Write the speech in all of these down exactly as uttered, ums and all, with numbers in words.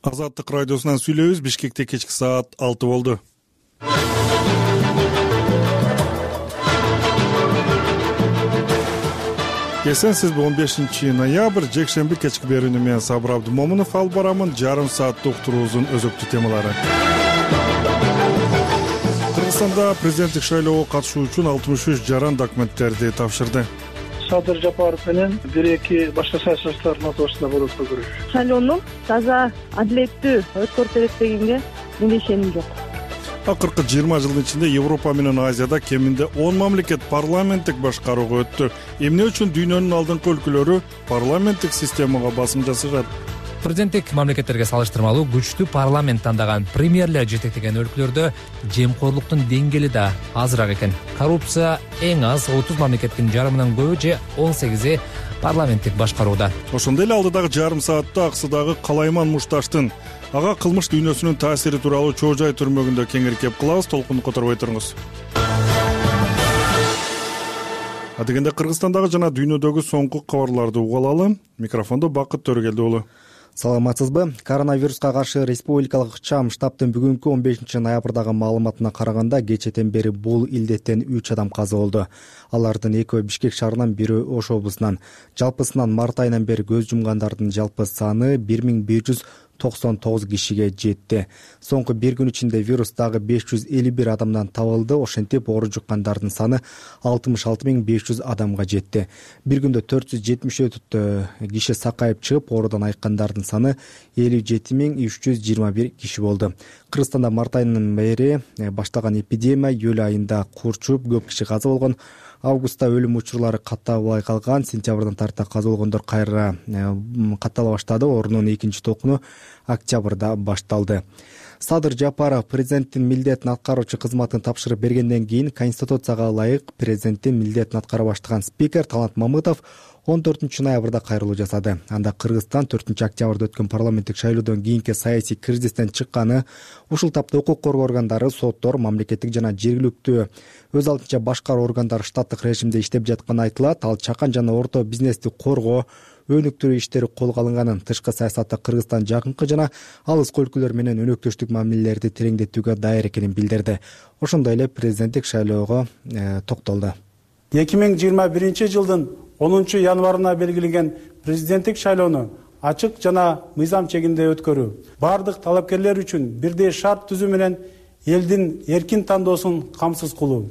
Азаттык радиосунан сүйлөйбүз. Бишкекте кечки саат алты болду. Эсенсизби? он бешинчи ноябрь жекшемби кечки берүүнү мен Сабыр Абдымомунов алып барамын. Жарым сааттык уктуруубуздун өзөктүү темалары. Кыргызстанда президенттик шайлоого катышуу үчүн алтымыш үч жаран документтерди тапшырды. Садыр Жапаров менен бир эки башка саясатчылардын ортосунда болот көрүш. Шайлоону таза, адилеттүү өткөрүп берет дегенге менде ишеним жок. Акыркы жыйырма жылдын ичинде Европа менен Азияда кеминде он мамлекет парламенттик башкарууга өттү. Эмне үчүн дүйнөнүн алдыңкы өлкөлөрү парламенттик системага басым жасашат? Президенттик мамлекеттерге салыштырмалуу күчтүү парламент тандаган премьерлер жетектеген өлкөлөрдө жемкорлуктун деңгээли да азыраак экен. Коррупция эң аз отуз мамлекеттин жарымынан көбү же он сегизи парламенттик башкарууда. Ошондой эле алдыдагы жарым саатта Аксыдагы Калайман Мушташтын ага кылмыш дүйнөсүнүн таасири тууралуу Чоо Жай түрмөгүндө кеңири кеп кылабыз. Толкунду которбой туруңуз. Адегенде Кыргызстандагы жана дүйнөдөгү соңку кабарларды угуп алалы. Микрофондо Бакыт Төрөгелди уулу. Саламатсызбы? Коронавируска каршы республикалык ыкчам штабтын бүгүнкү он бешинчи ноябрдагы маалыматына караганда кечэтен бери бул илдеттен үч адам каза болду. Алардын экөө Бишкек шаарынан, бири Ош облусунан. Жалпысынан март айынан бери көз жумгандардын жалпы саны бир миң бир жүз токсон тогуз кишиге жетти. Соңку бир күн ичинде вирус дагы беш жүз элүү бир адамдан табылды. Ошентип оору жуккандардын саны алтымыш алты миң беш жүз адамга жетти. Бир күндө төрт жүз жетимиш төрт киши сакайып чыгып, оорудан айыккандардын саны элүү жети миң үч жүз жыйырма бир киши болду. Кыргызстанда март айынан бери башталган эпидемия июль айында курчуп, көп киши каза болгон. Августта өлүм учурлары каттабай калган. Сентябрдан тарта каза болгондор кайра каттала баштады. Оорунун экинчи токуну октябрда башталды. Садыр Жапаров президенттин милдетин аткаруучу кызматын тапшырып бергенден кийин Конституцияга ылайык президенттин милдетин аткара баштаган спикер Талант Мамытов он төртүнчү ноябрда кайрылуу жасады. Анда Кыргызстан төртүнчү октябрда өткөн парламенттик шайлоодон кийинки саясий кризистен чыкканы, ушул тапта укук коргоо органдары, соттор, мамлекеттик жана жергиликтүү өз алдынча башкаруу органдары штаттык режимде иштеп жатканы айтылат. Ал чакан жана орто бизнести коргоо, өнүктүрүү иштери колго алынганын, тышкы саясатта Кыргызстан жакынкы жана алыскы өлкөлөр менен өнөктөштүк мамилелерди тереңдетүүгө даяр экенин билдирди. Ошондой эле президенттик шайлоого э, токтолду. эки миң жыйырма биринчи жылдын онунчу январына белгиленген президенттик шайлоону ачык жана мыйзам чегинде өткөрүү, бардык талапкерлер үчүн бирдей шарт түзүү менен элдин эркин тандоосун камсыз кылуу.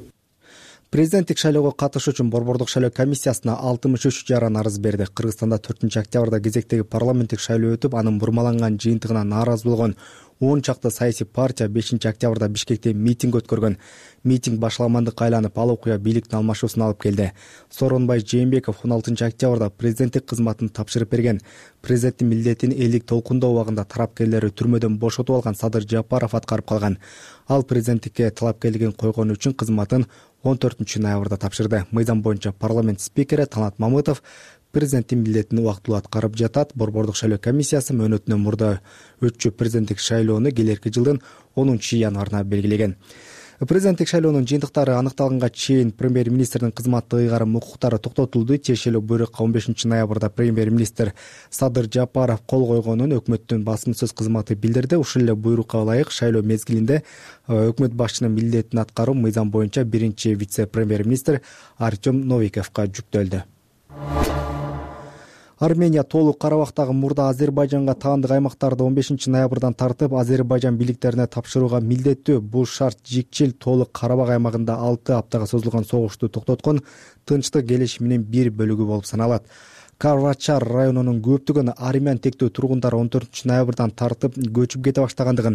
Президенттик шайлоого катышуу үчүн Борбордук шайлоо комиссиясына алтымыш үч жаран арыз берди. Кыргызстанда төртүнчү октябрда кезектеги парламенттик шайлоо өтүп, анын бурмаланган жыйынтыгына нааразы болгон он чакты саясий партия бешинчи октябрда Бишкекте митинг өткөргөн. Митинг башаламандыкка айланып, ал окуя бийликтин алмашуусуна алып келди. Сооронбай Жээнбеков он алтынчы октябрда президенттик кызматын тапшырып берген. Президенттин милдетин элдик толкундоо убагында тарапкерлери түрмөдөн бошотуп алган Садыр Жапаров аткарып калган. Ал президенттикке талапкерлигин койгон үчүн кызматын он төртүнчү ноябрда тапшырды. Мыйзам боюнча парламент спикери Талант Мамытов президенттин милдетин убактылуу аткарып жатат. Борбордук шайлоо комиссиясы мөөнөтүнөн мурда өтчү президенттик шайлоону келерки жылдын онунчу январына белгилеген. Президенттик шайлоонун жыйынтыктары аныкталганга чейин премьер-министрдин кызматтык ыйгарым укуктары токтотулду. Тиешелүү буйрукка он бешинчи ноябрда премьер-министр Садыр Жапаров кол койгонун өкмөттүн басымсыз кызматы билдирди. Ушул эле буйрукка ылайык шайлоо мезгилинде өкмөт башчынын милдетин аткаруу мыйзам боюнча биринчи вице-премьер-министр Артем Новиковго жүктөлдү. Армения толук Карабактагы мурда Азербайжанга таандык аймактарды он бешинчи ноябрдан тартып Азербайжан бийликтерине тапшырууга милдеттүү. Бул шарт жикчил толук Карабак аймагында алты аптага созулган согушту токтоткон тынчтык келишиминин бир бөлүгү болуп саналат. Карвачар районунун көптөгөн армян тектүү тургундары он төртүнчү ноябрдан тартып көчүп кете баштагандыгын,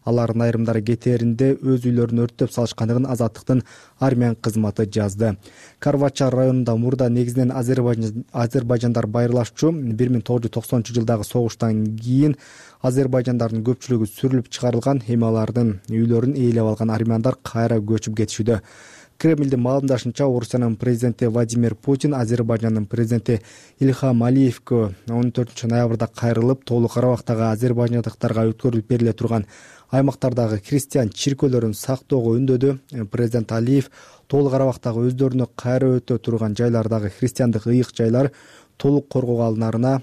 алардын айрымдары кетээринде өз үйлөрүн өрттөп салышкандыгын Азаттыктын армян кызматы жазды. Карвачар районунда мурда негизинен Азербайжан азербайжандар байырлашчу. бир миң тогуз жүз токсонунчу жылдагы согуштан кийин азербайжандардын көпчүлүгү сүрүлүп чыгарылган, эми алардын үйлөрүн ээлеп алган армяндар кайра көчүп кетишүүдө. Кремлдин маалымдашынча, Орусиянын президенти Владимир Путин Азербайжандын президенти Ильхам Алиевге он төртүнчү ноябрда кайрылып, толук Карабактагы азербайжандыктарга өткөрүлүп бериле турган аймактардагы христиан чиркөөлөрүн сактоого үндөдү. Президент Алиев толук Карабактагы өздөрүнө кайра өтө турган жайлардагы христиандык ыйык жайлар толук коргоого алынарына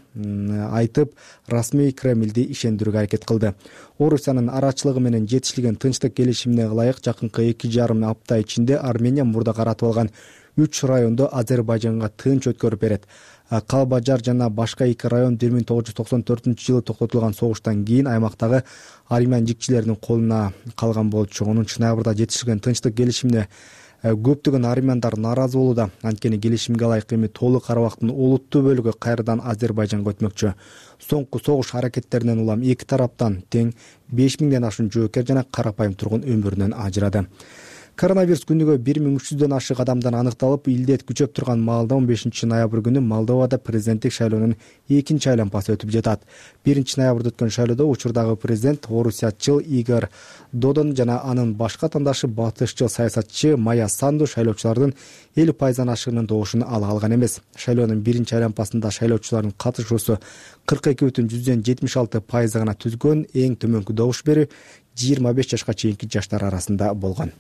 айтып, расмий Кремлди ишендирүүгө аракет кылды. Орусиянын арачылыгы менен жетишилген тынчтык келишимине ылайык жакынкы эки жарым апта ичинде Армения мурда каратып алган үч районду Азербайжанга тынч өткөрүп берет. Калбажар жана башка эки район бир миң тогуз жүз токсон төртүнчү жылы токтотулган согуштан кийин аймактагы армян жикчилеринин колуна калган болчу. онунчу ноябрда жетишилген тынчтык келишимине көптөгөн армяндар нааразы болууда. Анткени келишимге ылайык эми толук Карабактын олуттуу бөлүгү кайрадан Азербайжанга өтмөкчү. Соңку согуш аракеттеринен улам эки тараптан тең беш миңден ашуун жоокер жана карапайым тургун өмүрүнөн ажырады. Коронавирус күнүгө бир миң үч жүздөн ашык адамдан аныкталып, илдет күчөп турган маалда он бешинчи ноябрь күнү Молдовада президенттик шайлоонун экинчи айланпасы өтүп жатат. биринчи ноябрда өткөн шайлоодо учурдагы президент орусиячыл Игорь Додон жана анын башка таңдашы батышчыл саясатчы Майя Санду шайлоочулардын элүү пайыздан ашыгынын добушун ала алган эмес. Шайлоонун биринчи айланпасында шайлоочулардын катышуусу кырк эки бүтүн жүздөн жетимиш алты пайызды гана түзгөн. Эң төмөнкү добуш берүү жыйырма беш жашка чейинки жаштар арасында болгон.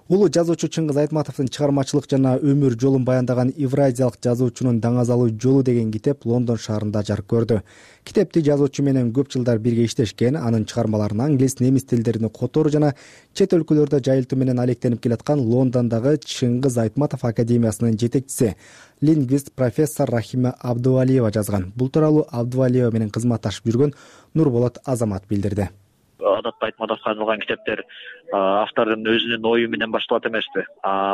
Улуу жазуучу Чыңгыз Айтматовдун чыгармачылык жана өмүр жолун баяндаган Евразиялык жазуучунун даңазалуу жолу деген китеп Лондон шаарында жарык көрдү. Китепти жазуучу менен көп жылдар бирге иштешкен, анын чыгармаларын англис, немис тилдерине которуу жана чет өлкөлөрдө жайылтуу менен алектенип келаткан Лондондогу Чыңгыз Айтматов академиясынын жетекчиси, лингвист профессор Рахима Абдувалиева жазган. Бул тууралуу Абдувалиева менен кызматташып жүргөн Нурболот Азамат билдирди. Адатта Айтматовго арналган китептер автордун өзүнүн ою менен башталат эмеспи.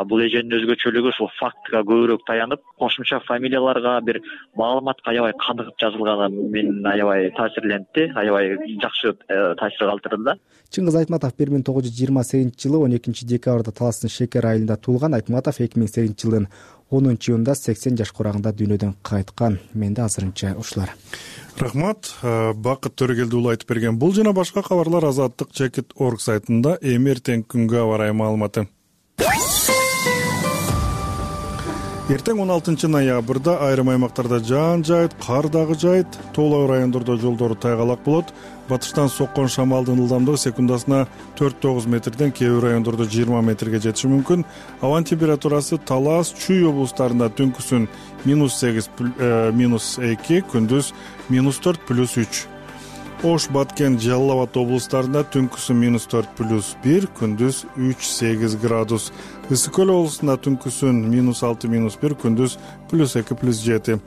Бул эженин өзгөчөлүгү ушул фактка көбүрөөк таянып, кошумча фамилияларга, бир маалыматка аябай каныгып жазылганы мени аябай таасирлентти, аябай жакшы таасир калтырды. Чыңгыз Айтматов бир миң тогуз жүз жыйырма сегизинчи жылы он экинчи декабрда Таластын Шекер айылында туулган. Айтматов эки миң сегизинчи жылдын онунчу июнунда сексен жаш курагында дүйнөдөн кайткан. Менде азырынча ушулар. Рахмат. Бакыт Төрөгелди уулу айтып берген. Бул жана башка кабарлар азаттык чекит точка орг сайтында. Эми эртең күнгө аба ырайы маалыматы. Эртең он алтынчы ноябрда айрым аймактарда жаан жайыт, кар дагы жайыт, тоолуу райондордо жолдору тайгалак болот. Батыштан соккон шамалдын ылдамдыгы секундасына төрт тогуз метрден, кээ бир райондордо жыйырма метрге жетиши мүмкүн. Абанын температурасы Талас, Чүй облустарында түнкүсүн минус сегиз, минус эки, күндүз минус төрт, плюс үч. Ош, Баткен, Жалал Абад облустарында түнкүсүн минус төрт, плюс бир, күндүз үч, сегиз градус. Ысык көл облусунда түнкүсүн минус алты, минус бир, күндүз плюс эки, плюс жети.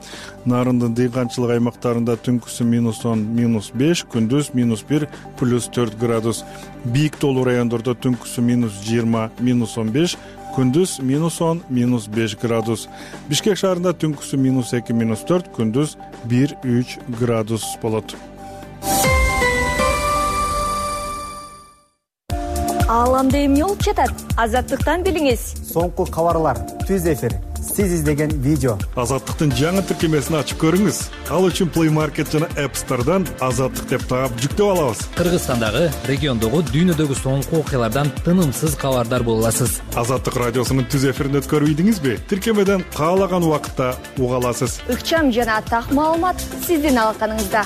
Нарындын дыйканчылык аймактарында түнкүсүн минус он, минус беш, күндүз минус бир, плюс төрт градус. Бийик тоолуу райондордо түнкүсүн минус жыйырма, минус он беш, күндүз минус он, минус беш градус. Бишкек шаарында түнкүсүн минус эки, минус төрт, күндүз бир, үч градус болот. Ааламда эмне болуп жатат? Азаттыктан билиңиз. Соңку кабарлар, түз эфир, сиз издеген видео. Азаттыктын жаңы тиркемесин ачып көрүңүз. Ал үчүн Play Market жана App Store'дан Азаттык деп таап жүктөп алабыз. Кыргызстандагы, региондогу, дүйнөдөгү соңку окуялардан тынымсыз кабардар боло аласыз. Азаттык радиосунун түз эфирин өткөрүп ийдиңизби? Тиркемеден каалаган убакытта уга аласыз. Ыкчам жана так маалымат сиздин алаканыңызда.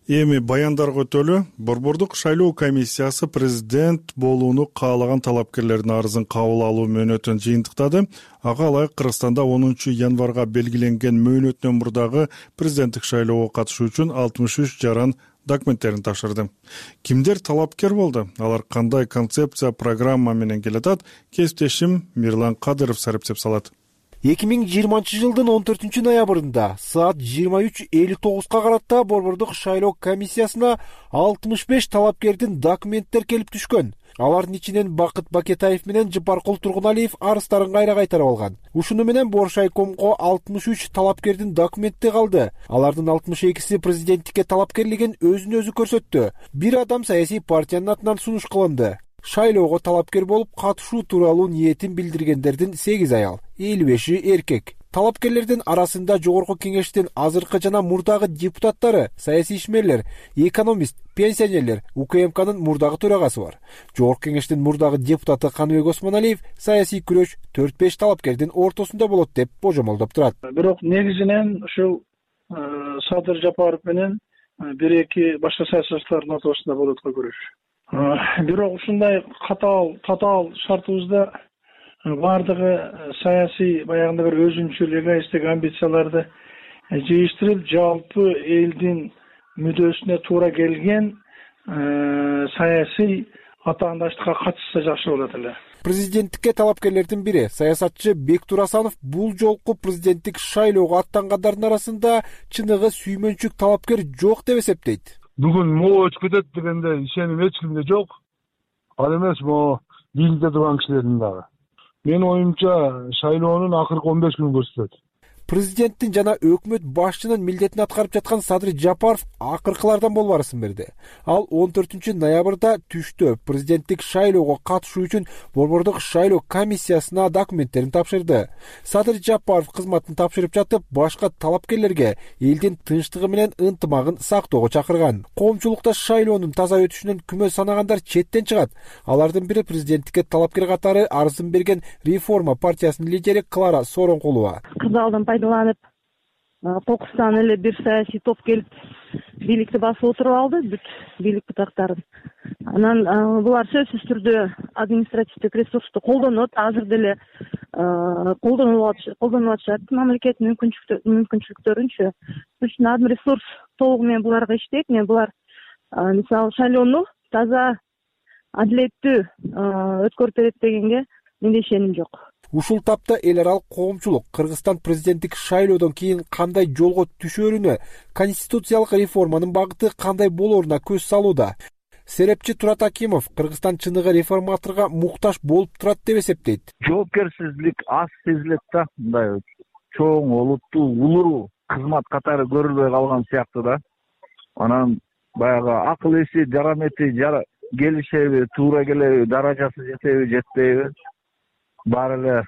Эми баяндарга өтөлү. Борбордук шайлоо комиссиясы президент болууну каалаган талапкерлердин арызын кабыл алуу мөөнөтүн жыйынтыктады. Ага ылайык Кыргызстанда онунчу январга белгиленген мөөнөттөн мурдагы президенттик шайлоого катышуу үчүн алтымыш үч жаран документтерин тапшырды. Кимдер талапкер болду? Алар кандай концепция, программа менен келатат? Кесиптешим Мирлан Кадыров сараптап салат. эки миң жыйырманчы жылдын он төртүнчү ноябрында саат жыйырма үч элүү тогузга карата борбордук шайлоо комиссиясына алтымыш беш талапкердин документтер келип түшкөн. Алардын ичинен Бакыт Бакетаев менен Жыпаркул Тургуналиев арыздарын кайра кайтарып алган. Ушуну менен Боршайкомго алтымыш үч талапкердин документи калды. Алардын алтымыш экиси президенттикке талапкерлигин өзүн өзү көрсөттү. Бир адам саясий партиянын атынан сунуш кылынды. Шайлоого талапкер болуп катышуу тууралуу ниетин билдиргендердин сегиз аял, элүү беши эркек. Талапкерлердин арасында Жогорку Кеңештин азыркы жана мурдагы депутаттары, саясий ишмерлер, экономист, пенсионерлер, УКМКнын мурдагы төрагасы бар. Жогорку Кеңештин мурдагы депутаты Каныбек Осмоналиев саясий күрөш төрт беш талапкердин ортосунда болот деп божомолдоп турат. Бирок негизинен ушул Садыр Жапаров менен бир эки башка саясатчылардын ортосунда болот го күрөш. Бирок ушундай катаал татаал шартыбызда баардыгы саясий баягындай бир өзүнчүл эгоисттик амбицияларды жыйыштырып, жалпы элдин мүддөсүнө туура келген саясий атаандаштыкка катышса жакшы болот эле. Президенттикке талапкерлердин бири саясатчы Бектур Асанов бул жолку президенттик шайлоого аттангандардын арасында чыныгы сүймөнчүк талапкер жок деп эсептейт. Бүгүн могу өтүп кетет дегенде ишеним эч кимде жок. Ал эмес могу бийликте турган кишилердин дагы. Менин оюмча шайлоонун акыркы он беш күнү көрсөтөт. Президенттин жана өкмөт башчынын милдетин аткарып жаткан Садыр Жапаров акыркылардан болбарысын берди. Ал он төртүнчү ноябрда түштө президенттик шайлоого катышуу үчүн Борбордук шайлоо комиссиясына документтерин тапшырды. Садыр Жапаров кызматын тапшырып жатып, башка талапкерлерге элдин тынчтыгы менен ынтымагын сактоого чакырган. Коомчулукта шайлоонун таза өтүшүнөн күмө санагандар четтен чыгат. Алардын бири президенттикке талапкер катары арызын берген Реформа партиясынын лидери Клара Сооронкулова. Пайдаланып, Кокустан эле бир саясий топ келип бийликти басып отуруп алды, бүт бийлик бутактарын. Анан булар сөзсүз түрдө административдик ресурсту колдонот, азыр деле колдонуп атышат мамлекеттин мүмкүнчүлүктөрүнчө. Үчүн админ ресурс толугу менен буларга иштейт. Мен булар мисалы шайлоону таза, адилеттүү өткөрүп берет дегенге менде ишеним жок. Ушул тапта эл аралык коомчулук Кыргызстан президенттик шайлоодон кийин кандай жолго түшөрүнө, конституциялык реформанын багыты кандай болоруна көз салууда. Серепчи Турат Акимов Кыргызстан чыныгы реформаторго муктаж болуп турат деп эсептейт. Жоопкерсиздик аз сезилет да, мындай чоң, олуттуу, улуу кызмат катары көрүлбөй калган сыяктуу да. Анан баягы акыл эси, жарамети келишеби, туура келеби, даражасы жетеби, жетпейби? Баары эле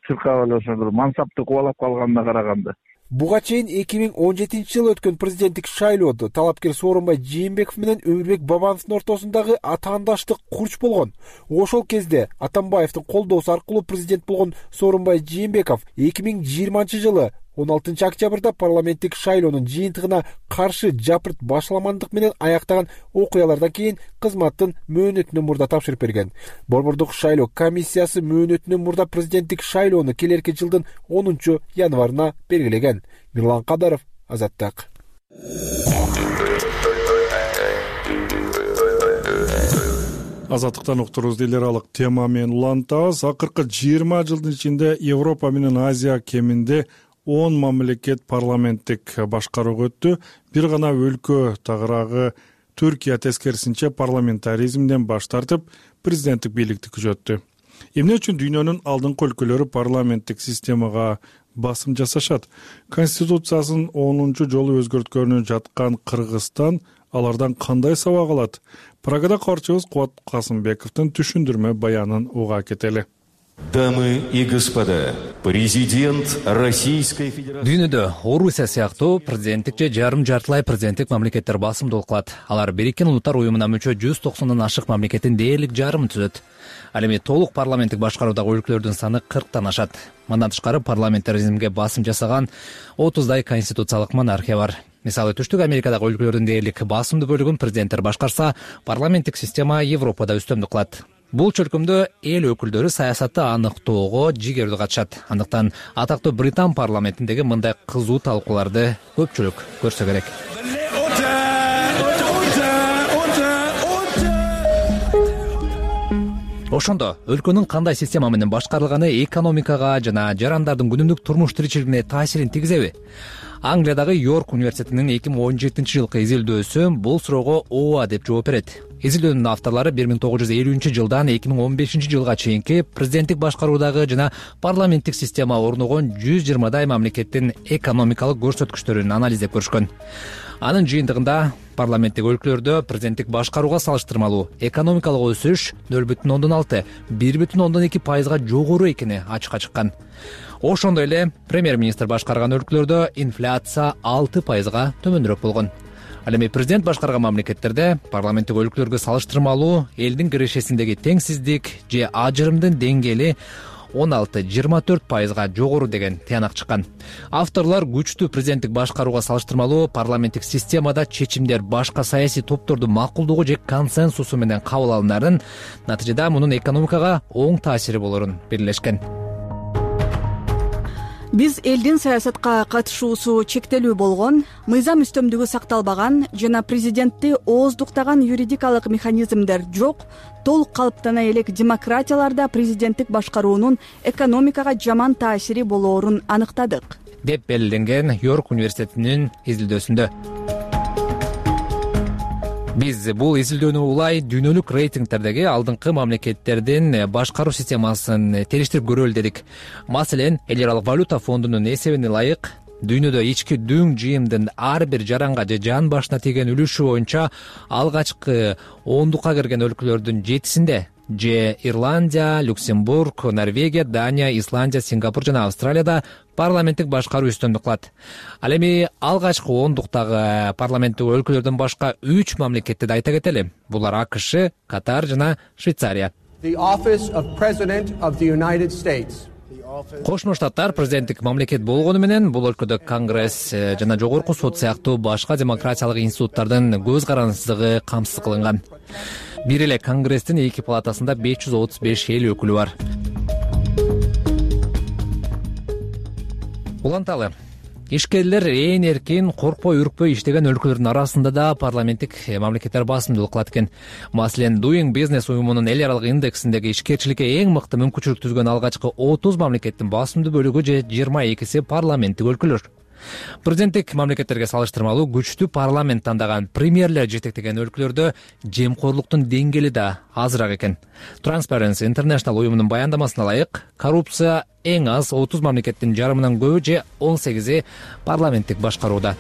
чуркап эле ошо бир мансапты кубалап калганына караганда. Буга чейин эки миң он жетинчи жылы өткөн президенттик шайлоодо талапкер Сооронбай Жээнбеков менен Өмүрбек Бабановдун ортосундагы атаандаштык курч болгон. Ошол кезде Атамбаевдин колдоосу аркылуу президент болгон Сооронбай Жээнбеков эки миң жыйырманчы жылы он алтынчы октябрда парламенттик шайлоонун жыйынтыгына каршы жапырт башаламандык менен аяктаган окуялардан кийин кызматтын мөөнөтүнөн мурда тапшырып берген. Борбордук шайлоо комиссиясы мөөнөтүнөн мурда президенттик шайлоону келерки жылдын онунчу январына белгилеген. Мирлан Кадаров, Азаттык. Азаттыктан уктурубузду эл аралык тема менен улантабыз. Акыркы жыйырма жылдын ичинде Европа менен Азия кеминде он мамлекет парламенттик башкарууга өттү. Бир гана өлкө тагыраагы Түркия тескерисинче парламентаризмден баш тартып, президенттик бийликти күчөттү. Эмне үчүн дүйнөнүн алдыңкы өлкөлөрү парламенттик системага басым жасашат? Конституциясын онунчу жолу өзгөрткөнү жаткан Кыргызстан алардан кандай сабак алат? Прагада кабарчыбыз Кубат Касымбековдун түшүндүрмө баянын уга кетели. Дамы и господа, президент Российской Федерации. Дүйнөдө Орусия сыяктуу президенттик же жарым жартылай президенттик мамлекеттер басымдуулук кылат. Алар Бириккен Улуттар уюмуна мүчө жүз токсондон ашык мамлекеттин дээрлик жарымын түзөт. Ал эми толук парламенттик башкаруудагы өлкөлөрдүн саны кырктан ашат. Мындан тышкары парламентаризмге басым жасаган отуздай конституциялык монархия бар. Мисалы Түштүк Америкадагы өлкөлөрдүн дээрлик басымдуу бөлүгүн президенттер башкарса, парламенттик система Европада үстөмдүк кылат. Бул чөлкөмдө эл өкүлдөрү саясатты аныктоого жигердүү катышат. Андыктан атактуу Британ парламентиндеги мындай кызуу талкууларды көпчүлүк көрсө керек. Ошондо өлкөнүн кандай система менен башкарылганы экономикага жана жарандардын күнүмдүк турмуш тиричилигине таасирин тийгизеби? Англиядагы Йорк университетинин эки миң он жетинчи жылкы изилдөөсү бул суроого ооба деп жооп берет. Изилдөөнүн авторлары бир миң тогуз жүз элүүнчү жылдан эки миң он бешинчи жылга чейинки президенттик башкаруудагы жана парламенттик система орногон жүз жыйырмадай мамлекеттин экономикалык көрсөткүчтөрүн анализдеп көрүшкөн. Анын жыйынтыгында парламенттик өлкөлөрдө президенттик башкарууга салыштырмалуу экономикалык өсүш нөл бүтүн ондон алты, бир бүтүн ондон эки пайызга жогору экени ачыкка чыккан. Ошондой эле премьер-министр башкарган өлкөлөрдө инфляция алты пайызга төмөнүрөөк болгон. Ал эми президент башкарган мамлекеттерде парламенттик өлкөлөргө салыштырмалуу элдин кирешесиндеги теңсиздик же ажырымдын деңгээли он алты жыйырма төрт пайызга жогору деген тыянак чыккан. Авторлор күчтүү президенттик башкарууга салыштырмалуу парламенттик системада чечимдер башка саясий топтордун макулдугу же консенсусу менен кабыл алынарын, натыйжада мунун экономикага оң таасири болорун белгилешкен. Биз элдин саясатка катышуусу чектелүү болгон, мыйзам үстөмдүгү сакталбаган жана президентти ооздуктаган юридикалык механизмдер жок, толук калыптана элек демократияларда президенттик башкаруунун экономикага жаман таасири болоорун аныктадык, деп белгиленген Йорк университетинин изилдөөсүндө. Биз бул изилдөөнү улай дүйнөлүк рейтингтердеги алдыңкы мамлекеттердин башкаруу системасын териштирип көрөлү дедик. Маселен, эл аралык валюта фондунун эсебине ылайык дүйнөдө ички дүң жыйымдын ар бир жаранга же жан башына тийген үлүшү боюнча алгачкы ондукка кирген өлкөлөрдүн жетисинде же Ирландия, Люксембург, Норвегия, Дания, Исландия, Сингапур жана Австралияда парламенттик башкаруу үстөмдүк кылат. Ал эми алгачкы ондуктагы парламенттик өлкөлөрдөн башка үч мамлекетти да айта кетели. Булар АКШ, Катар жана Швейцария. Кошмо Штаттар президенттик мамлекет болгону менен бул өлкөдө Конгресс жана жогорку сот сыяктуу башка демократиялык институттардын көз карандысыздыгы камсыз кылынган. Бир эле Конгресстин эки палатасында беш жүз отуз беш эл өкүлү бар. Уланталы, ишкерлер ээн эркин, коркпой үркпөй иштеген өлкөлөрдүн арасында да парламенттик мамлекеттер басымдуулук кылат экен. Маселен, Doing Business уюмунун эл аралык индексиндеги ишкерчиликке эң мыкты мүмкүнчүлүк түзгөн алгачкы отуз мамлекеттин басымдуу бөлүгү же жыйырма экиси парламенттик өлкөлөр. Президенттик мамлекеттерге салыштырмалуу күчтүү парламент тандаган премьерлер жетектеген өлкөлөрдө жемкорлуктун деңгээли да азыраак экен. Transparency International уюмунун баяндамасына ылайык, коррупция эң аз отуз мамлекеттин жарымынан көбү же он сегизи парламенттик башкарууда.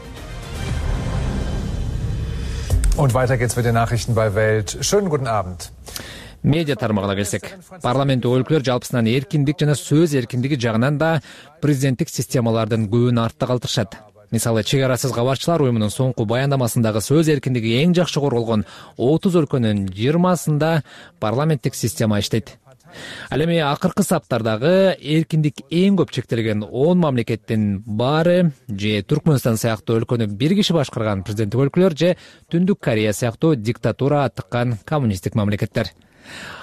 Und weiter geht's mit den Nachrichten bei Welt. Schönen guten Abend. Медиа тармагына келсек, парламенттик өлкөлөр жалпысынан эркиндик жана сөз эркиндиги жагынан да президенттик системалардын көбүн артта калтырышат. Мисалы, чек арасыз кабарчылар уюмунун соңку баяндамасындагы сөз эркиндиги эң жакшы корголгон отуз өлкөнүн жыйырмасында парламенттик система иштейт. Ал эми акыркы саптардагы эркиндик эң көп чектелген он мамлекеттин баары же Түркмөнстан сыяктуу өлкөнү бир киши башкарган президенттик өлкөлөр же Түндүк Корея сыяктуу диктатура аттыккан коммунисттик мамлекеттер.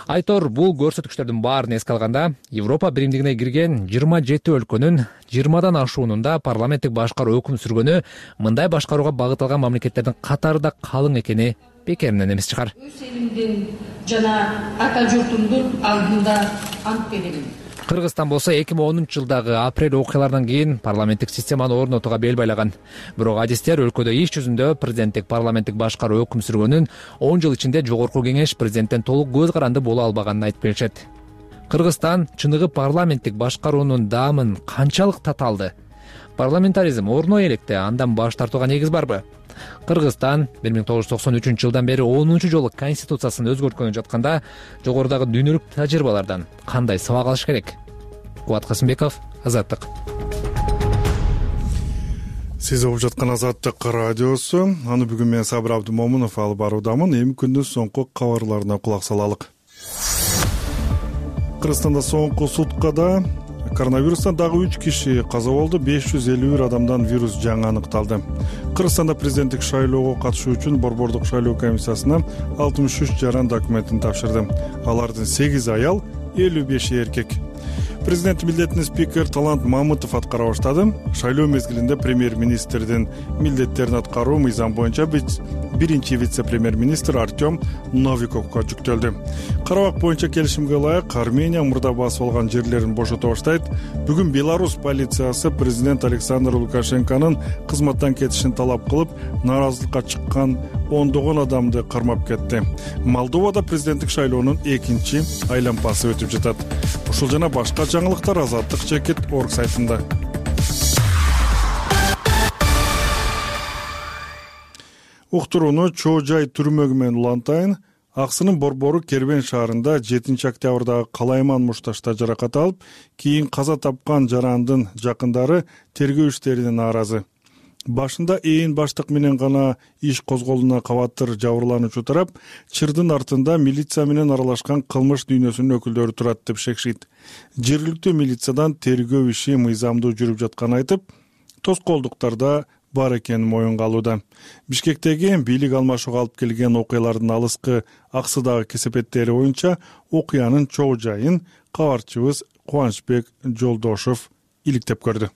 Айтор, бул көрсөткүчтөрдүн баарын эске алганда, Европа биримдигине кирген жыйырма жети өлкөнүн жыйырмадан ашуунун да парламенттик башкаруу өкүм сүргөнү мындай башкарууга багытталган мамлекеттердин катарында калың экени бекеринен эмес чыгар. Өз элимдин жана ата журтумдун алдында ант беремин. Кыргызстан болсо эки миң онунчу жылдагы апрель окуяларынан кийин парламенттик системаны орнотууга бел байлаган. Бирок адистер өлкөдө иш жүзүндө президенттик парламенттик башкаруу өкүм сүргөнүн он жыл ичинде жогорку кеңеш президенттен толук көз каранды боло албаганын айтып беришет. Кыргызстан чыныгы парламенттик башкаруунун даамын канчалык таталды? Парламентаризм орно электе, андан баш тартууга негиз барбы? Кыргызстан бир миң тогуз жүз токсон үчүнчү жылдан бери онунчу жолу конституциясын өзгөрткөнү жатканда жогорудагы дүйнөлүк тажрыйбалардан кандай сабак алыш керек? Кубат Касымбеков, Азаттык. Сиз угуп жаткан Азаттык радиосу. Аны бүгүн мен Сабыр Абдымомунов алып баруудамын. Эми күндүн соңку кабарларына кулак салалык. Кыргызстанда соңку суткада коронавирустан дагы үч киши каза болду, беш жүз элүү бир адамдан вирус жаңы аныкталды. Кыргызстанда президенттик шайлоого катышуу үчүн Борбордук шайлоо комиссиясына алтымыш үч жаран документин тапшырды. Алардын сегизи аял, элүү беши эркек. Президент милдетин спикер Талант Мамытов аткара баштады. Шайлоо мезгилинде премьер-министрдин милдеттерин аткаруу мыйзам боюнча биринчи вице-премьер-министр Артем Новиковго жүктөлдү. Карабак боюнча келишимге ылайык Армения мурда басып алган жерлерин бошото баштайт. Бүгүн Беларусь полициясы президент Александр Лукашенконун кызматтан кетишин талап кылып, нааразылыкка чыккан ондогон адамды кармап кетти. Молдовада президенттик шайлоонун экинчи айлампасы өтүп жатат. Ушул жана башка жаңылыктар Азаттык чекит орг сайтында. Уктурууну Чоо Жай түрмөгү менен улантайын. Аксынын борбору Кербен шаарында жетинчи октябрдагы калайман мушташта жаракат алып, кийин каза тапкан жарандын жакындары тергөө иштерине нааразы. Башында ээн баштык менен гана иш козголууна кабаттыр жабырлануучу тарап чырдын артында милиция менен аралашкан кылмыш дүйнөсүнүн өкүлдөрү турат деп шекшийт. Жергиликтүү милициядан тергөө иши мыйзамдуу жүрүп жатканын айтып, тоскоолдуктар да бар экенин моюнга алууда. Бишкектеги бийлик алмашууга алып келген окуялардын алыскы аксыдагы кесепеттери боюнча окуянын чогуу жайын кабарчыбыз Кубанычбек Жолдошов иликтеп көрдү.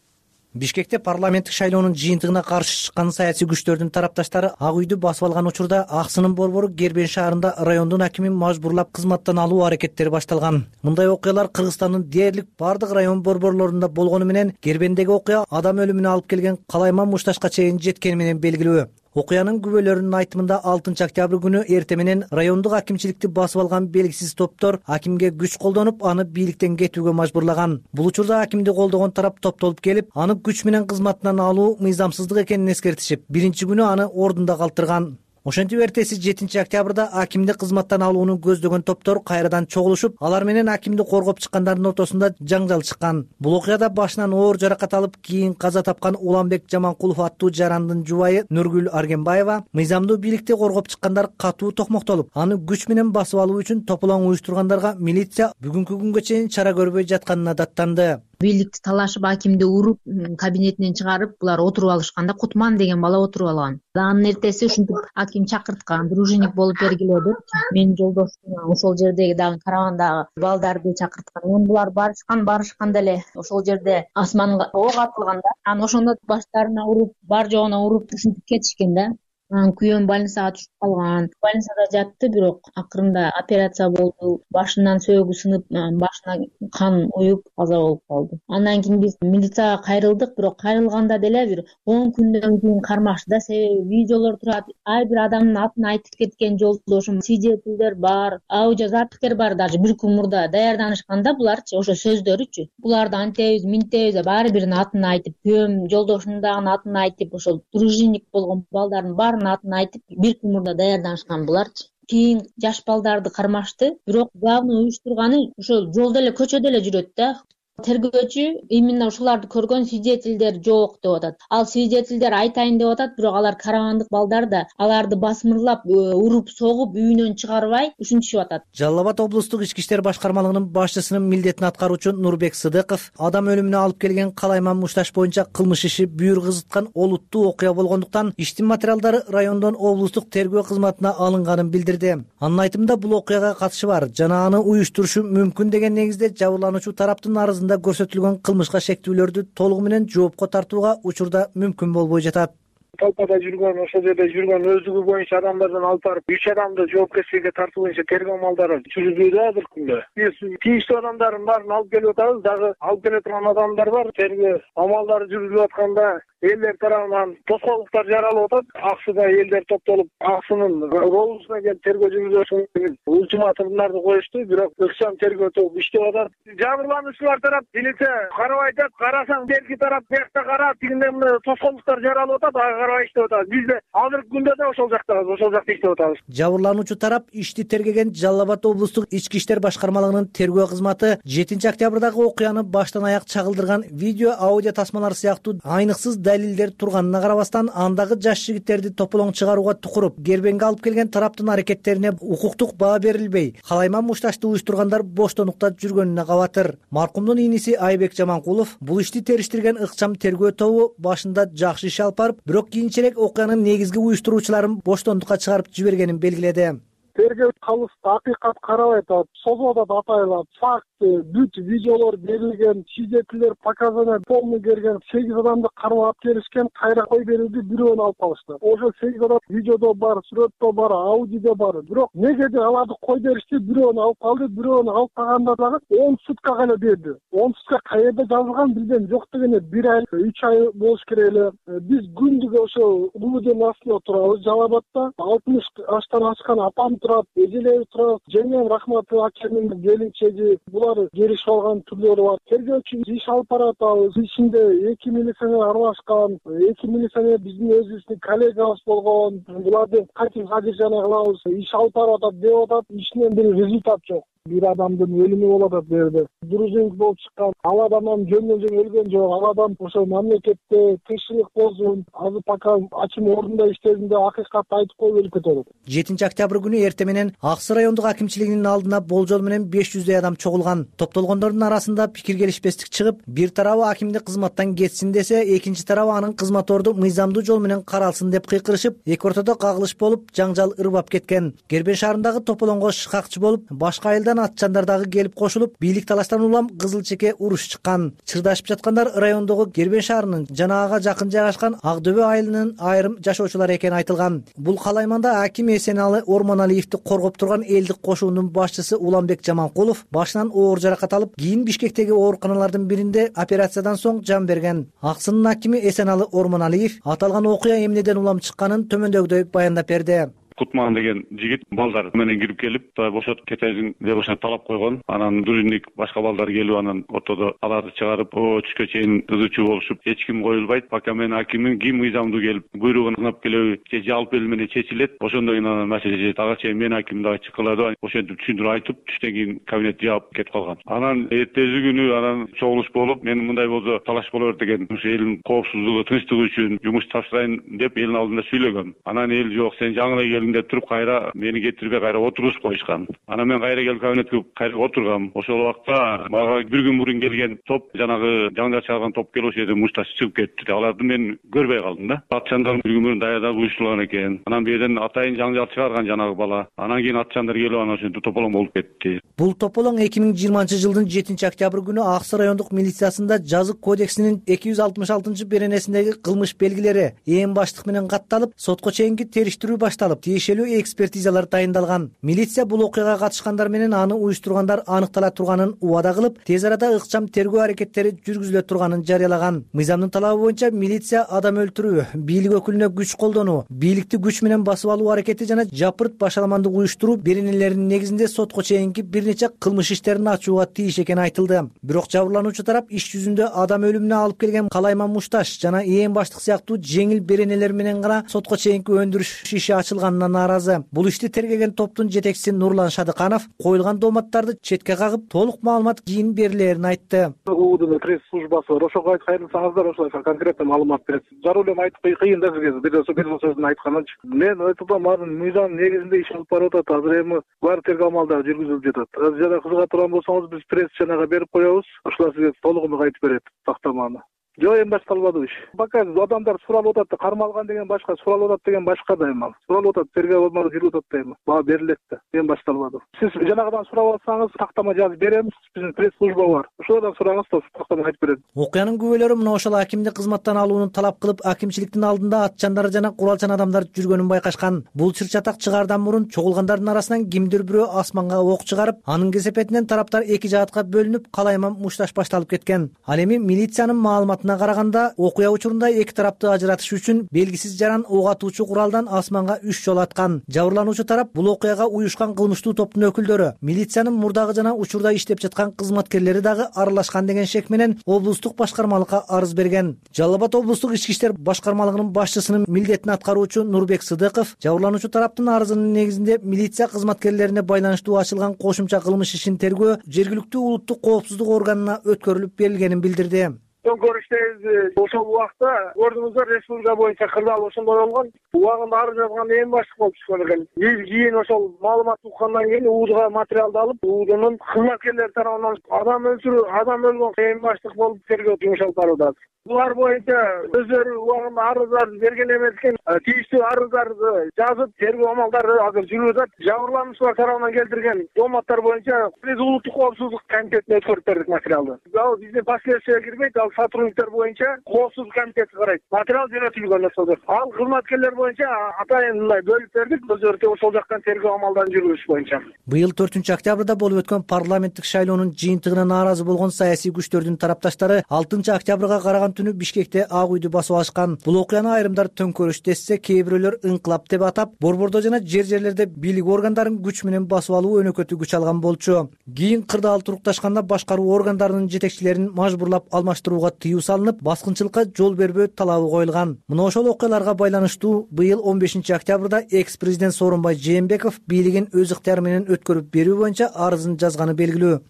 Бишкекте парламенттик шайлоонун жыйынтыгына каршы чыккан саясий күчтөрдүн тарапташтары Ак үйдү басып алган учурда Аксынын борбору Гербен шаарында райондун акимин мажбурлап кызматтан алуу аракеттери башталган. Мындай окуялар Кыргызстандын дээрлик бардык район борборлорунда болгону менен Гербендеги окуя адам өлүмүнө алып келген Калайман Мушташка чейин жеткени менен белгилүү. Окуянын күбөлөрүнүн айтымында алтынчы октябрь күнү эрте менен райондук акимчиликти басып алган белгисиз топтор акимге күч колдонуп, аны бийликтен кетүүгө мажбурлаган. Бул учурда акимди колдогон тарап топтолуп келип, аны күч менен кызматынан алуу мыйзамсыздык экенин эскертишип, биринчи күнү аны ордунда калтырган. Ошентип эртеси жетинчи октябрда акимди кызматтан алууну көздөгөн топтор кайрадан чогулушуп, алар менен акимди коргоп чыккандардын ортосунда жаңжал чыккан. Бул окуяда башынан оор жаракат алып, кийин каза тапкан Уланбек Жаманкулов аттуу жарандын жубайы Нургүл Аргенбаева мыйзамдуу бийликти коргоп чыккандар катуу токмоктолуп, аны күч менен басып алуу үчүн тополоң уюштургандарга милиция бүгүнкү күнгө чейин чара көрбөй жатканына даттанды. Бийликти талашып акимди уруп кабинетинен чыгарып, булар отуруп алышканда Кутман деген бала отуруп алган. Анын эртеси ушинтип аким чакырткан, дружинник болуп бергиле деп менин жолдошум ошол жердеги дагы карагандагы балдарды чакырткан. Мен булар барышкан, барышканда эле ошол жерде асманга ок атылганда, анан ошондо баштарына уруп, бар жогуна уруп ушинтип кетишкен да. Анан күйөөм больницага түшүп калган. Больницада жатты, бирок акырында операция болду. Башынан сөөгү сынып, башына кан уюп каза болуп калды. Андан кийин биз милицияга кайрылдык, бирок кайрылганда деле бир он күндөн кийин кармашты. Себеби видеолор турат. Ай бир адамдын атын айтып кеткен жолдошум, свидетелдер бар, аудиозапистер бар. Даже бир күн мурда даярданышканда буларчы, ошо сөздөрүчү. Буларды антебиз, минтебиз, баары биринин атын айтып, күйөөм жолдошумдун дагы атын айтып, ошол дружинник болгон балдардын баарын атын айтып, бир күн мурда даярданышкан буларчы. Кийин жаш балдарды кармашты, бирок главный уюштурганы ошол жолдо эле, көчөдө эле жүрөт да. Тергөөчү именно ушуларды көргөн свидетелдер жок деп атат. Ал свидетелдер айтайын деп атат, бирок алар карагандык балдар да аларды басмырлап, уруп, согуп, үйүнөн чыгарбай ушинтишип атат. Жалал Абад облустук ички иштер башкармалыгынын башчысынын милдетин аткаруучу Нурбек Сыдыков адам өлүмүнө алып келген Калайман Мушташ боюнча кылмыш иши бүйүр кызыткан олуттуу окуя болгондуктан иштин материалдары райондон облустук тергөө кызматына алынганын билдирди. Анын айтымында бул окуяга катышы бар жана аны уюштурушу мүмкүн деген негизде жабырлануучу тараптын арызында көрсөтүлгөн кылмышка шектүүлөрдү толугу менен жоопко тартууга учурда мүмкүн болбой жатат. Толпада жүргөн, ошол жерде жүргөн өздүгү боюнча адамдардан алып барып, үч адамды жоопкерчиликке тартуу боюнча тергөө амалдары жүргүзүүдө азыр күндө. Биз тийиштүү адамдардын баарын алып келип атабыз, дагы алып келе турган адамдар бар. Тергөө амалдары жүргүзүлүп атканда элдер тарабынан тоскоолдуктар жаралып атат. Аксыда элдер топтолуп, Аксынын роусуна келип тергөө жүргүзүшүн ультиматумдарды коюшту, бирок ыкчам тергөө тобу иштеп атат. Жабырлануучулар тарап милиция карабай атат, карасаң берки тарап биякта кара, тигинден мына тоскоолдуктар жаралып атат. Иштеп атабыз. Биз да азыркы күндө да ошол жактабыз, ошол жакта иштеп атабыз. Жабырлануучу тарап ишти тергеген Жалал Абад облустук ички иштер башкармалыгынын тергөө кызматы жетинчи октябрдагы окуяны баштан аяк чагылдырган видео, аудио тасмалар сыяктуу айныксыз далилдер турганына карабастан, андагы жаш жигиттерди тополоң чыгарууга тукуруп, Гербенге алып келген тараптын аракеттерине укуктук баа берилбей, Калайман Мушташты уюштургандар боштондукта жүргөнүнө кабатыр. Маркумдун иниси Айбек Жаманкулов бул ишти териштирген ыкчам тергөө тобу башында жакшы иш алып барып, бирок кийинчерээк окуянын негизги уюштуруучуларын боштондукка чыгарып жибергенин белгиледи. Тергөө калысты акыйкат карабай атат, созуп атат атайлап, факт, бүт видеолор берилген, свидетелдер показания полный берген, сегиз адамды кармап алып келишкен, кайра кой берилди, бирөөнү алып калышты. Ошо сегиз адам видеодо бар, сүрөттө бар, аудиодо бар. Бирок негеде аларды кой беришти, бирөөнү алып калды, бирөөнү алып калганда дагы он сутка гана берди. он сутка каерде жазылган билбейм, жок дегенде бир ай, үч ай болуш керек эле. Биз күндүгө ошо улуудун астында турабыз, Жалал Абадда алтымыш аштан ашкан апам турат, эжелери турат, жеңем Рахматы акемин келинчеги, булар келишип алган түрлөрү бар. Тергөөчү иш алып баратабыз. Ичинде эки милиционер аралашкан, эки милиционер биздин өзүбүздүн коллегабыз болгон. Буларды кантип задержание кылабыз, иш алып баратат деп атат, ишинен бир результат жок. бир адамдын өлүмү болуп атат бул жерде. Дружинник болуп чыккан ал адам жөндөн жөн өлгөн жок. Ал адам ошо мамлекетте тынччылык болсун, азыр пока ачым ордунда иштесин деп акыйкатты айтып коюп өлүп кетип атат. жетинчи октябрь күнү эртең менен Ак Суу райондук акимчилигинин алдына болжол менен беш жүздөй адам чогулган. Топтолгондордун арасында пикир келишпестик чыгып, бир тарабы акимди кызматтан кетсин десе, экинчи тарабы анын кызматорду мыйзамдуу жол менен каралсын деп кыйкырышып, эки ортодо кагылыш болуп, жаңжал ырбап кеткен. Кербен шаарындагы тополоңго шыкакчы болуп, башка айылдан атчандар дагы келип кошулуп, бийлик талаштан улам кызыл чеке уруш чыккан. Чырдашып жаткандар райондогу Кербен шаарынын жана ага жакын жайгашкан Ак Дөбө айылынын айрым жашоочулары экени айтылган. Бул калайманда аким Эсеналы Ормоналиевди коргоп турган элдик кошуунун башчысы Уламбек Жаманкулов башынан оор жаракат алып, кийин Бишкектеги ооруканалардын биринде операциядан соң жан берген. Ак Суунун акими Эсеналы Ормоналиев аталган окуя эмнеден улам чыкканын төмөндөгүдөй баяндап берди. Кутман деген жигит балдар менен кирип келип, бошотуп кетесиң деп ошо талап койгон. Анан дружинник башка балдар келип, анан ортодо аларды чыгарып, о түшкө чейин ызычуу болушуп, эч ким коюлбайт. Пока мен акимин ким мыйзамдуу келип, буйругун ыңап келеби, же жалпы эл менен чечилет. Ошондон кийин анан маселе жетет. Ага чейин мен аким дагы чыккыла деп, ошентип түшүндүрүп айтып, түштөн кийин кабинет жаап кетип калган. Анан эртеси күнү анан чогулуш болуп, мен мындай болсо талаш боло берет экен. Ошо элдин коопсуздугу, тынчтыгы үчүн жумуш тапшырайын деп элдин алдында сүйлөгөм. Анан эл жок, сен жаңы келиң деп туруп кайра мени кетирбей кайра отургузуп коюшкан. Анан мен кайра келип кабинетке кайра отургам. Ошол убакта мага бир күн мурун келген топ, жанагы жаңжал чыгарган топ келип ошол жерде мушташ чыгып кетти. Аларды мен көрбөй калдым да. Атчандар бир күн мурун даярдап уюштурган экен. Анан бул жерден атайын жаңжал чыгарган жанагы бала. Анан кийин атчандар келип анан ошентип тополоң болуп кетти. Бул тополоң эки миң жыйырманчы жылдын жетинчи октябрь күнү Ак Суу райондук милициясында жазык кодексинин эки жүз алтымыш алтынчы беренесиндеги кылмыш белгилери ээн баштык менен катталып, сотко чейинки териштирүү башталып, тиешелүү экспертизалар дайындалган. Милиция бул окуяга катышкандар менен аны уюштургандар аныктала турганын убада кылып, тез арада ыкчам тергөө аракеттери жүргүзүлө турганын жарыялаган. Мыйзамдын талабы боюнча милиция адам өлтүрүү, бийлик өкүлүнө күч колдонуу, бийликти күч менен басып алуу аракети жана жапырт башаламандык уюштуруу беренелеринин негизинде сотко чейинки бир нече кылмыш иштерин ачууга тийиш экени айтылды. Бирок жабырлануучу тарап иш жүзүндө адам өлүмүнө алып келген Калайман Мушташ жана ээн баштык сыяктуу жеңил беренелер менен гана сотко чейинки өндүрүш иши ачылганына нааразы. Бул ишти тергеген топтун жетекчиси Нурлан Шадыканов коюлган дооматтарды четке кагып, толук маалымат кийин берилерин айтты. УУДун пресс службасы бар, ошого кайрылсаңыздар ошолайса конкретно маалымат берет. Зарыл эле айтып кыйын да сизге бир бир сөзүн айтканынчы. Мен айтып атам, мыйзам негизинде иш алып барып атат. Азыр эми бар тергөө амалдары жүргүзүлүп жатат. Азыр жана кызыга турган болсоңуз биз пресс чанага берип коебуз. Ошолар сизге толугунда айтып берет тактаманы. Жок, эми башталбады иш. Пока адамдар суралып атат, кармалган деген башка, суралып атат деген башка да эми. Суралып атат, тергөө амалы жүрүп атат да эми. Баа берилет да. Эми башталбады. Сиз жанагыдан сурап алсаңыз, тактама жазып беребиз. Биздин пресс служба бар. Ошолордон сураңыз да тактама айтып берет. Окуянын күбөлөрү мына ошол акимди кызматтан алууну талап кылып, акимчиликтин алдында атчандар жана куралчан адамдар жүргөнүн байкашкан. Бул чыр-чатак чыгаардан мурун чогулгандардын арасынан кимдир бирөө асманга ок чыгарып, анын кесепетинен тараптар эки жаатка бөлүнүп, Калайман Мушташ башталып кеткен. Ал эми милициянын маалыматына караганда, окуя учурунда эки тарапты ажыратыш үчүн белгисиз жаран ок атуучу куралдан асманга үч жолу аткан. Жабырлануучу тарап бул окуяга уюшкан кылмыштуу топтун өкүлдөрү, милициянын мурдагы жана учурда иштеп жаткан кызматкерлери дагы аралашкан деген шек менен облустук башкармалыкка арыз берген. Жалал Абад облустук ички иштер башкармалыгынын башчысынын милдетин аткаруучу Нурбек Сыдыков жабырлануучу тараптын арызынын негизинде милиция кызматкерлерине байланыштуу ачылган кошумча кылмыш ишин тергөө жергиликтүү улуттук коопсуздук органына өткөрүлүп берилгенин билдирди. Көрүштөбүз ошол убакта көрдүңүздөр, республика боюнча кырдаал ошондой болгон. Убагында арыз жазган ээн баштык болуп түшкөн экен. Биз кийин ошол маалымат уккандан кийин УУДга материалды алып, УУДнун кызматкерлери тарабынан адам өлтүрүү, адам өлгөн ээн баштык болуп тергөө жумуш алып барылат. Булар боюнча өздөрү убагында арыздарды берген эмес экен. Тийиштүү арыздарды жазып, тергөө амалдары азыр жүрүп атат. Жабырлануучулар тарабынан келтирген дооматтар боюнча биз улуттук коопсуздук комитетине өткөрүп бердик материалды. Ал биздин последствия кирбейт, ал сотрудниктер боюнча коопсуздук комитети карайт. Материал жөнөтүлгөн ошол. Ал кызматкерлер боюнча атайын мындай бөлүп бердик, өздөрү ошол жактан тергөө амалдарын жүргүзүш боюнча. Быйыл төртүнчү октябрда болуп өткөн парламенттик шайлоонун жыйынтыгына нааразы болгон саясий күчтөрдүн тарапташтары алтынчы октябрга караган түнү Бишкекте Ак үйдү басып алышкан. Бул окуяны айрымдар төңкөрүш десе, кээ бирөөлөр ыңкылап деп атап, борбордо жана жер жерлерде бийлик органдарын күч менен басып алуу өнөкөтү күч алган болчу. Кийин кырдаал турукташканда башкаруу органдарынын жетекчилерин мажбурлап алмаштырууга алууга тыюу салынып, баскынчылыкка жол бербөө талабы коюлган. Мына ошол окуяларга байланыштуу быйыл он бешинчи октябрда экс президент Сооронбай Жээнбеков бийлигин өз ыктыяры менен өткөрүп берүү боюнча арызын жазганы белгилүү.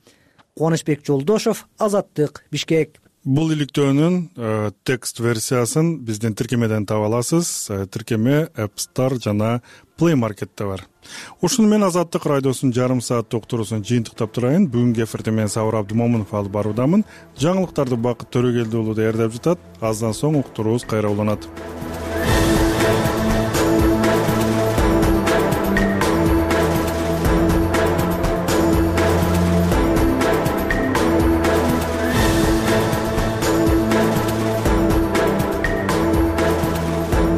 Кубанычбек Жолдошов, Азаттык, Бишкек. Бул иликтөөнүн текст версиясын биздин тиркемеден таба аласыз. Тиркеме App Store жана Play Market'те бар. Ушуну менен Азаттык радиосунун жарым сааттык уктуруусун жыйынтыктап турайын. Бүгүнкү эфирде мен Сабыр Абдымомунов алып баруудамын. Жаңылыктарды Бакыт Төрөгелди уулу даярдап жатат. Аздан соң уктуруубуз кайра уланат.